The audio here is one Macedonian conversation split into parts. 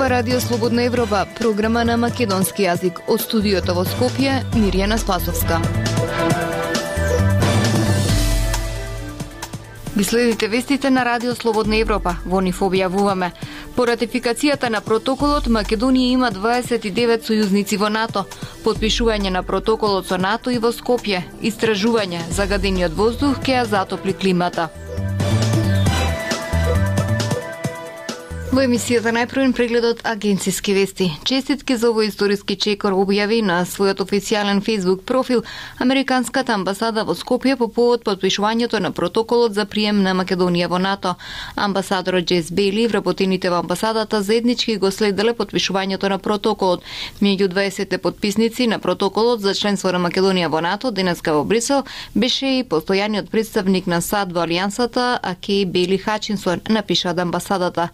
ова Радио Слободна Европа, програма на македонски јазик. Од студиото во Скопје, Мирјана Спасовска. Ги следите вестите на Радио Слободна Европа. Во нив објавуваме: по ратификацијата на протоколот, Македонија има 29 сојузници во НАТО. Подпишување на протоколот со НАТО и во Скопје. Истражување: загадениот воздух ќе ја затопли климата. Во емисијата најпрвен прегледот агенциски вести. Честитки за овој историски чекор објави на својот официјален Facebook профил Американската амбасада во Скопје по повод подпишувањето на протоколот за прием на Македонија во НАТО. Амбасадорот Джес Бейли и вработените во амбасадата заеднички го следеле подпишувањето на протоколот. Меѓу 20 подписници на протоколот за членство на Македонија во НАТО денеска во Брисел беше и постојаниот представник на САД во Алијансата, Акеј Бейли Хачинсон, напиша од амбасадата.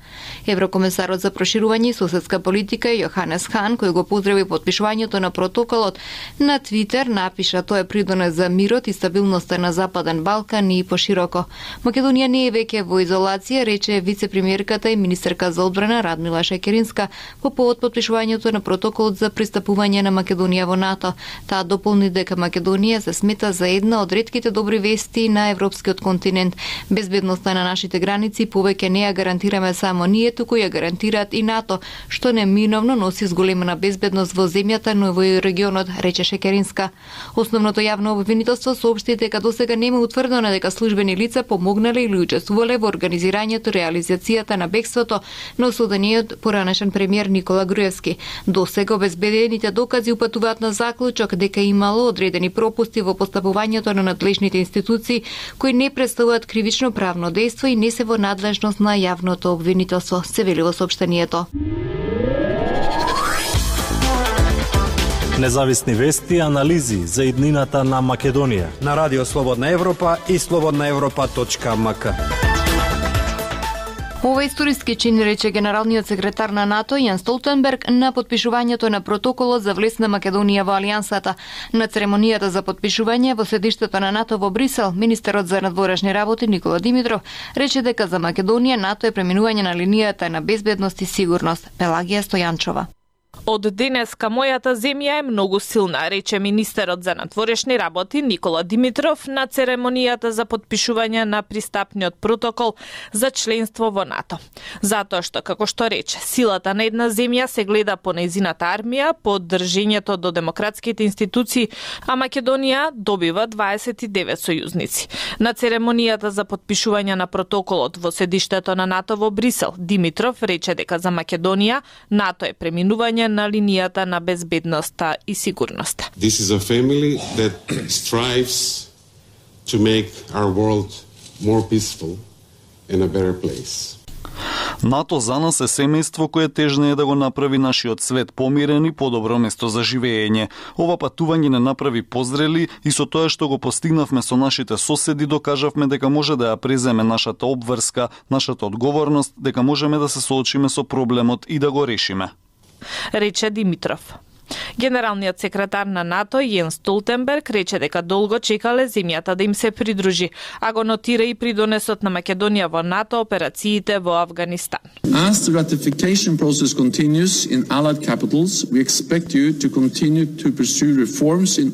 Еврокомесарот за проширување и соседска политика Јоханес Хан, кој го поздрави подпишувањето на протоколот, на Твитер напиша: тоа е придонес за мирот и стабилноста на Западен Балкан и пошироко. Македонија не е веќе во изолација, рече вице-премиерката и министерка за одбрана Радмила Шекеринска по повод подпишувањето на протоколот за пристапување на Македонија во НАТО. Таа дополни дека Македонија се смета за една од ретките добри вести на европскиот континент. Безбедноста на нашите граници повеќе не ја гарантираме само ние, туку ја гарантираат и НАТО, што неминовно носи зголемена безбедност во земјата, но и во регионот, рече Шекеринска. Основното јавно обвинителство соопшти дека досега нема утврдено дека службени лица помогнале или учествувале во организирањето, реализацијата на бегството на осудениот поранешен премиер Никола Груевски. Досега обезбедените докази упатуваат на заклучок дека имало одредени пропусти во постапувањето на надлежните институции кои не представуваат кривично правно дејство и не се во надлежност на јавното обвинителство, се вели во соопштението. Независни вести и анализи за иднината на Македонија на Радио Слободна Европа и slobodnaevropa.mk. Ова историски чин, рече генералниот секретар на НАТО Јан Столтенберг на подпишувањето на протоколот за влез на Македонија во Алијансата. На церемонијата за подпишување во седиштето на НАТО во Брисел, министерот за надворешни работи Никола Димитров рече дека за Македонија НАТО е преминување на линијата на безбедност и сигурност. Пелагија Стојанчова. Од денеска мојата земја е многу силна, рече министерот за надворешни работи Никола Димитров на церемонијата за подпишување на пристапниот протокол за членство во НАТО. Затоа што, како што рече, силата на една земја се гледа по нејзината армија, по држењето до демократските институции, а Македонија добива 29 сојузници. На церемонијата за подпишување на протоколот во седиштето на НАТО во Брисел, Димитров рече дека за Македонија НАТО е преминување на линијата на безбедноста и сигурноста. This is a family that strives to make our world more peaceful and a better place. НАТО за нас е семејство кое тежнее да го направи нашиот свет помирен и подобро место за живење. Ова патување не направи позрели и со тоа што го постигнавме со нашите соседи докажавме дека може да ја преземе нашата обврска, нашата одговорност, дека можеме да се соочиме со проблемот и да го решиме, рече Димитров. Генералниот секретар на НАТО Јен Столтенберг рече дека долго чекале земјата да им се придружи, а го нотира и придонесот на Македонија во НАТО операциите во Авганистан. As the ratification process continues in allied capitals, we expect you to continue to pursue reforms in.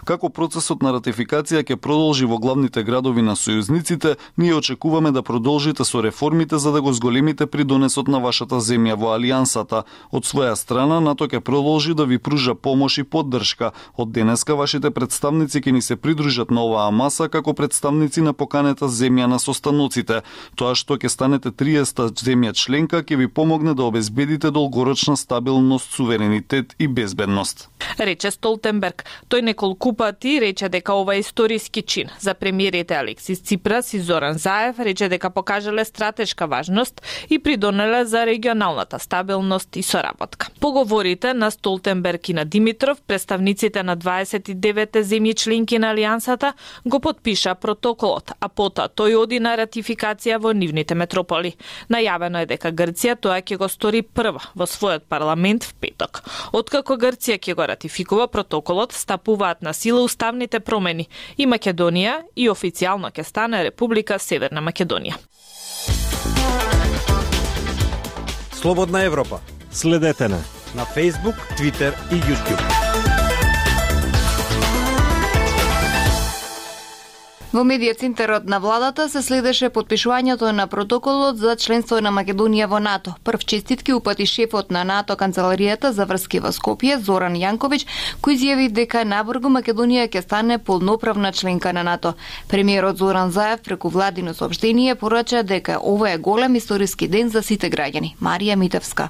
Како процесот на ратификација ќе продолжи во главните градови на сојузниците, ние очекуваме да продолжите со реформите за да го зголемите придонесот на вашата земја во Алијансата. Од своја страна, НАТО ќе продолжи да ви пружа помош и поддршка. Од денеска вашите представници ќе ни се придружат на оваа маса како представници на поканета земја на состаноците. Тоа што ќе станете 30-та земја членка ќе ви помогне да обезбедите долгорочна стабилност, суверенитет и безбедност, рече Столтенберг. Тој неколку пати рече дека ова е историски чин. За премиерите Алексис Ципрас и Зоран Заев рече дека покажале стратешка важност и придонеле за регионалната стабилност и соработка. Поговорите на Столтенберг и на Димитров, представниците на 29 земји членки на Алијансата, го потпиша протоколот, а потоа тој оди на ратификација во нивните метрополи. Најавено е дека Грција тоа ќе го стори прва во својот парламент в петок. Откако Грција ќе го ратификува протоколот, стапуваат на сила уставните промени и Македонија и официјално ќе стане Република Северна Македонија. Слободна Европа. Следете не на Facebook, Twitter и YouTube. Во медија центарот на владата се следеше подпишувањето на протоколот за членство на Македонија во НАТО. Прв честитки упати шефот на НАТО канцеларијата за врски во Скопје, Зоран Јанковиќ, кој изјави дека набрзо Македонија ќе стане полноправна членка на НАТО. Премиерот Зоран Заев преку владино соопштение порача дека ова е голем историски ден за сите граѓани. Марија Митевска.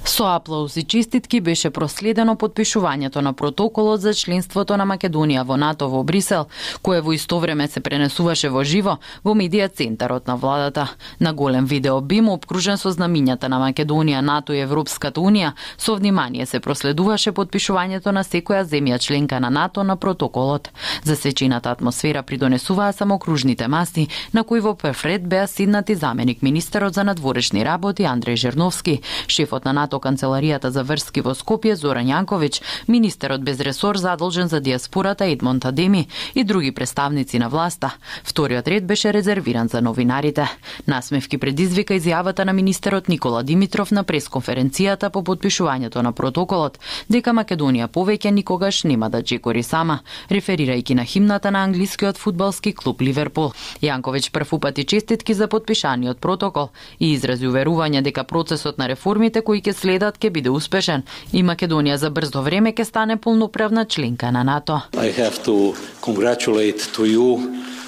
Со аплауз и честитки беше проследено подпишувањето на протоколот за членството на Македонија во НАТО во Брисел, кое во исто време се пренесуваше во живо во медија центарот на владата. На голем видео бим обкружен со знамињата на Македонија, НАТО и Европската унија, со внимание се проследуваше подпишувањето на секоја земја членка на НАТО на протоколот. Засечената атмосфера придонесуваа самокружните маси, на кои во прв ред беа седнати заменик министерот за надворешни работи Андреј Жерновски, шефот на НАТО канцеларијата за врски во Скопје Зоран Јанковиќ, министерот без ресор задолжен за диаспората Едмонд Адеми и други представници на власта. Вториот ред беше резервиран за новинарите. Насмевки предизвика изјавата на министерот Никола Димитров на пресконференцијата по подпишувањето на протоколот, дека Македонија повеќе никогаш нема да чекори сама, реферирајќи на химната на англискиот фудбалски клуб Ливерпул. Јанковиќ прв упати честитки за подпишаниот протокол и изрази уверување дека процесот на реформите кои ќе следат ќе биде успешен и Македонија за брзо време ќе стане полноправна членка на НАТО. I have to congratulate to you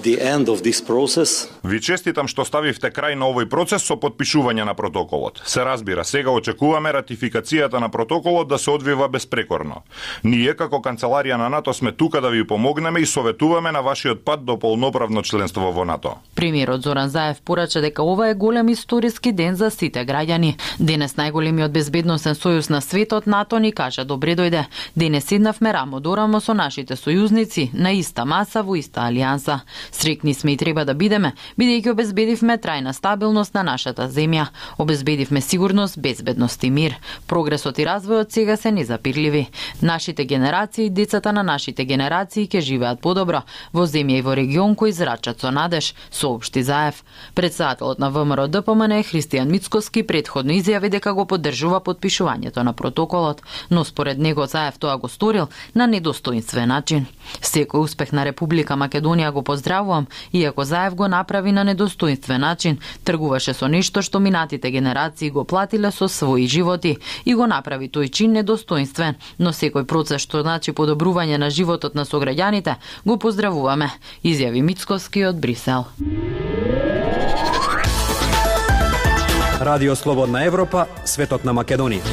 the end of this process. Ви честитам што ставивте крај на овој процес со подпишување на протоколот. Се разбира, сега очекуваме ратификацијата на протоколот да се одвива безпрекорно. Ние како канцеларија на НАТО сме тука да ви помогнеме и советуваме на вашиот пат до полноправно членство во НАТО. Премиерот Зоран Заев порача дека ова е голем историски ден за сите граѓани. Денес најголемиот безбедносен сојуз на светот НАТО ни кажа добре дојде. Денес седнавме рамо до рамо со нашите сојузници на иста маса во иста алијанса. Срекни сме и треба да бидеме, бидејќи обезбедивме трајна стабилност на нашата земја, обезбедивме сигурност, безбедност и мир. Прогресот и развојот сега се незапирливи. Нашите генерации и децата на нашите генерации ќе живеат подобро во земја и во регион кој зрачат со надеж, соопшти Заев. Председателот на ВМРО ДПМН Христијан Мицкоски претходно изјави дека го поддржува подпишувањето на протоколот, но според него Заев тоа го сторил на недостоинствен начин. Секој успех на Република Македонија го поздравувам, иако Заев го направи на недостоинствен начин, тргуваше со нешто што минатите генерации го платиле со своји животи и го направи тој чин недостоинствен, но секој процес што значи подобрување на животот на сограѓаните го поздравуваме, изјави Мицкоски од Брисел. Радио Слободна Европа, светот на Македонија.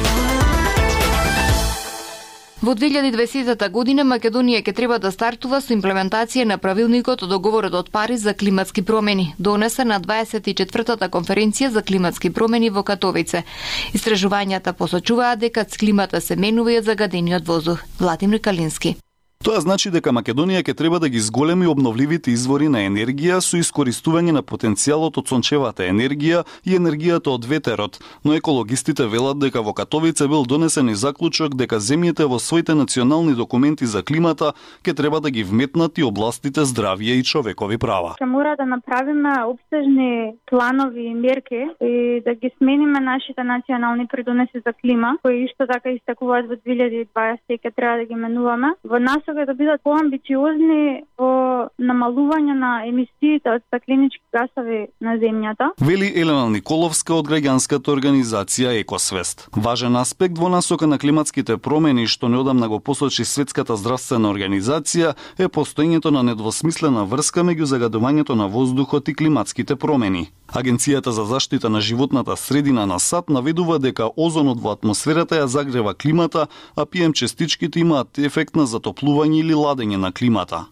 Во 2020 година Македонија ќе треба да стартува со имплементација на правилникот од договорот од Париз за климатски промени, донесен на 24-та конференција за климатски промени во Катовице. Истражувањата посочуваат дека климата се менува и од загадениот воздух. Владимир Калински. Тоа значи дека Македонија ќе треба да ги зголеми обновливите извори на енергија со искористување на потенцијалот од сончевата енергија и енергијата од ветерот, но екологистите велат дека во Катовице бил донесен и заклучок дека земјите во своите национални документи за климата ќе треба да ги вметнат и областите здравје и човекови права. Ќе мора да направиме обсежни планови и мерки и да ги смениме нашите национални придонеси за клима, кои исто така истекуваат во 2020 и ќе треба да ги менуваме. Во насока да бидат поамбициозни во намалување на емисиите од стакленички гасови на земјата. Вели Елена Николовска од граѓанската организација Екосвест. Важен аспект во насока на климатските промени што неодамна го посочи Светската здравствена организација е постоењето на недвосмислена врска меѓу загадувањето на воздухот и климатските промени. Агенцијата за заштита на животната средина на САД наведува дека озонот во атмосферата ја загрева климата, а ПМ частичките имаат ефект на затоплување или ладење на климата.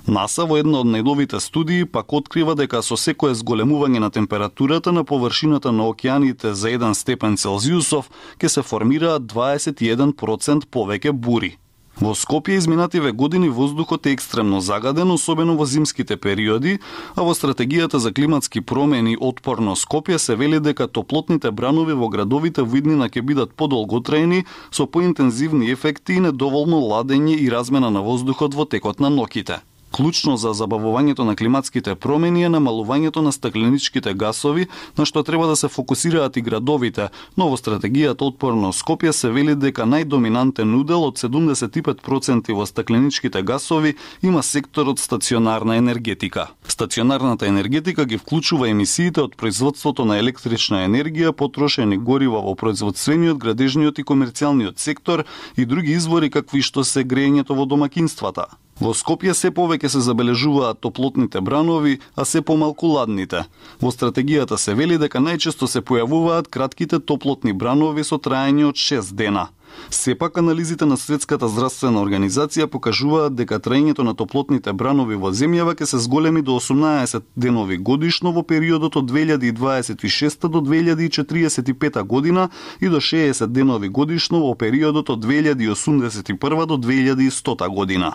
НАСА во една од најновите студии пак открива дека со секое зголемување на температурата на површината на океаните за 1 степен Целзиусов ќе се формираат 21% повеќе бури. Во Скопје изминативе години воздухот е екстремно загаден, особено во зимските периоди, а во стратегијата за климатски промени Отпорно Скопје се вели дека топлотните бранови во градовите во иднина ќе бидат подолготрајни, со поинтензивни ефекти и недоволно ладење и размена на воздухот во текот на ноќите. Клучно за забавувањето на климатските промени е намалувањето на стакленичките гасови, на што треба да се фокусираат и градовите, но во стратегијата Отпорно Скопје се вели дека најдоминантен удел од 75% во стакленичките гасови има секторот стационарна енергетика. Стационарната енергетика ги вклучува емисиите од производството на електрична енергија, потрошени горива во производствениот, градежниот и комерцијалниот сектор и други извори какви што се грејењето во домакинствата. Во Скопје се повеќе се забележуваат топлотните бранови, а се помалку ладните. Во стратегијата се вели дека најчесто се појавуваат кратките топлотни бранови со траење од 6 дена. Сепак анализите на Светската здравствена организација покажуваат дека траењето на топлотните бранови во земјава ќе се зголеми до 18 денови годишно во периодот од 2026 до 2045 година и до 60 денови годишно во периодот од 2081 до 2100 година.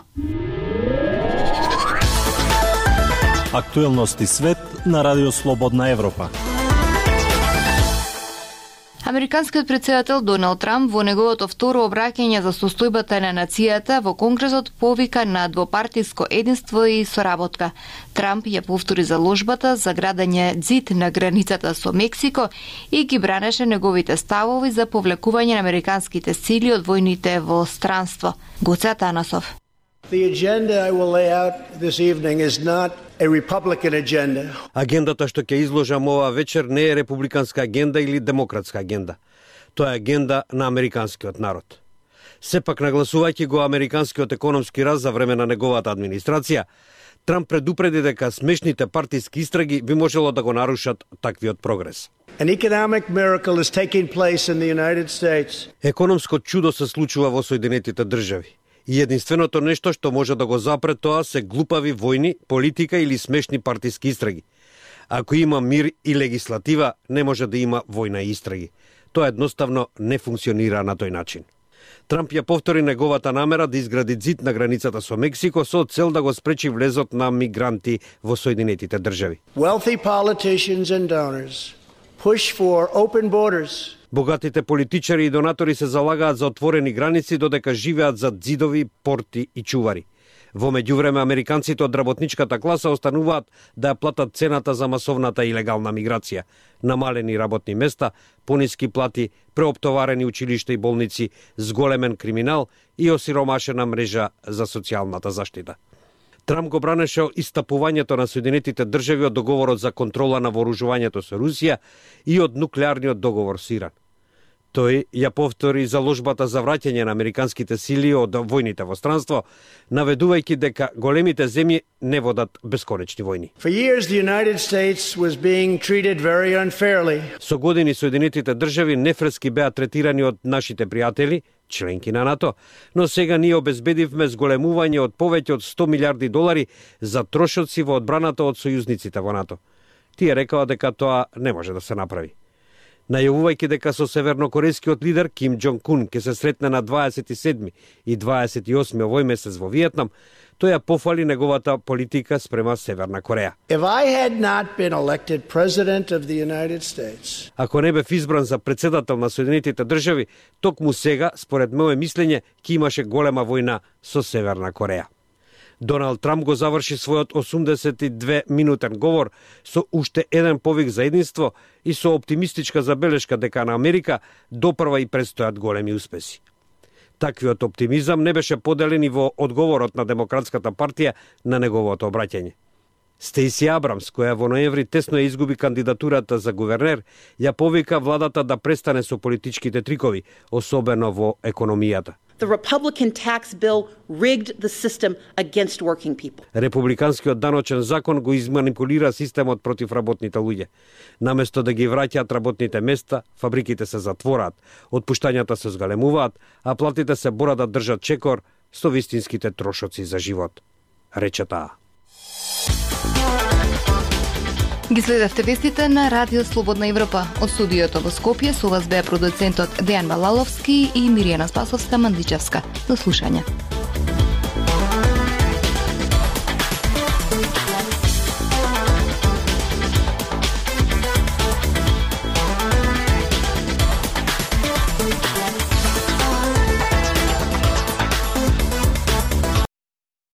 Актуелности свет на Радио Слободна Европа. Американскиот претседател Доналд Трамп во неговото второ обраќање за состојбата на нацијата во Конгресот повика на двопартиско единство и соработка. Трамп ја повтори заложбата за градење ѕид на границата со Мексико и ги бранеше неговите ставови за повлекување на американските сили од војните во странство. Гоце Атанасов. The agenda I will lay out this evening is not a Republican agenda. Агендата што ќе изложам ова вечер не е републиканска агенда или демократска агенда. Тоа е агенда на американскиот народ. Сепак нагласувајќи го американскиот економски раст за време на неговата администрација, Трамп предупреди дека смешните партиски истраги би можело да го нарушат таквиот прогрес. An economic miracle is taking place in the United States. Економско чудо се случува во Соединетите држави. И единственото нешто што може да го запре тоа се глупави војни, политика или смешни партиски истраги. Ако има мир и легислатива, не може да има војна и истраги. Тоа едноставно не функционира на тој начин. Трамп ја повтори неговата намера да изгради ѕид на границата со Мексико со цел да го спречи влезот на мигранти во Соединетите држави. Wealthy politicians and donors push for open borders. Богатите политичари и донатори се залагаат за отворени граници додека живеат зад ѕидови, порти и чувари. Во меѓувреме американците од работничката класа остануваат да ја платат цената за масовната илегална миграција, намалени работни места, пониски плати, преоптоварени училишта и болници, зголемен криминал и осиромашена мрежа за социјалната заштита. Трамп го бранеше истапувањето на Соединетите држави од договорот за контрола на вооружувањето со Русија и од нуклеарниот договор со Иран. Тој ја повтори заложбата за враќање на американските сили од војните во странство, наведувајќи дека големите земји не водат бесконечни војни. For years the United States was being treated very unfairly. Со години Соединетите држави нефрески беа третирани од нашите пријатели, членки на НАТО, но сега ние обезбедивме зголемување од повеќе од $100 милиарди за трошоци во одбраната од сојузниците во НАТО. Тие рекаа дека тоа не може да се направи. Најавувајќи дека со севернокорејскиот лидер Ким Џонг Ун ќе се сретне на 27 и 28 овој месец во Виетнам, тој ја пофали неговата политика спрема Северна Кореја. If I had not been elected president of the United States. Ако не бев избран за председател на Соединетите држави, токму сега, според моје мислење, ќе имаше голема војна со Северна Кореја. Доналд Трамп го заврши својот 82-минутен говор со уште еден повик за единство и со оптимистичка забелешка дека на Америка допрва и предстојат големи успеси. Таквиот оптимизам не беше поделен и во одговорот на Демократската партија на неговото обраќање. Стейси Абрамс, која во ноември тесно ја изгуби кандидатурата за гувернер, ја повика владата да престане со политичките трикови, особено во економијата. The Republican tax bill rigged the system against working people. Републиканскиот даночен закон го изманипулира системот против работните луѓе. Наместо да ги враќаат работните места, фабриките се затвораат, отпуштањата се зголемуваат, а платите се бора да држат чекор со вистинските трошоци за живот, рече таа. Ги следевте вестите на Радио Слободна Европа. Од студиото во Скопје со вас беа продуцентот Дејан Балаловски и Миријана Спасовска-Мандичевска. До слушање.